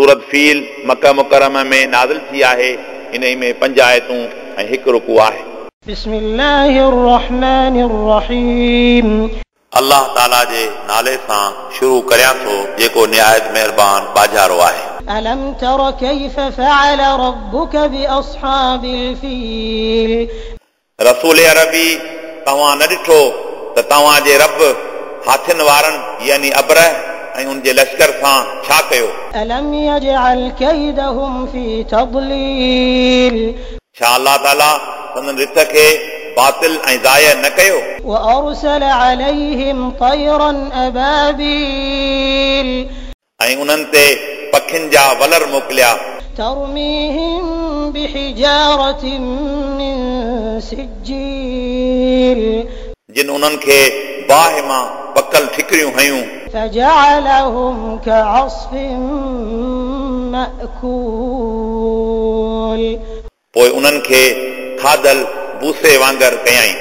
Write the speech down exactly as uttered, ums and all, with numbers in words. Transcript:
सूरत feel मक्का मुकर्रमा में नाज़िल थी आहे। इन में पंज आयतूं ऐं हिकु रुकू आहे। بسم الله الرحمن الرحيم। अल्लाह ताला जे नाले सां शुरू करियां थो जेको निहायत महिरबान बाजारो आहे। ألم تر كيف فعل ربك بأصحاب الفيل। रसूल अरबी तव्हां न ॾिठो त तव्हांजे रब हाथियुनि वारनि यानी अबरह ऐं उनजे लश्कर सां छा कयो। ألم يجعل كيدهم في تضليل। छा अल्लाह ताला संदन रिथ खे बातिल ऐं ज़ाया न कयो। وأرسل عليهم طيرا أبابيل। ऐं उन्हनि ते पखियुनि जा वलर मोकिलिया। ترميهم بحجارة من سجيل। जिन उन्हनि खे बाहि मां पकल ठिकरियूं हयूं। فجعلهم كعصف مأكول। पोइ उन्हनि खे खाधल बूसे वांगुरु कयाईं।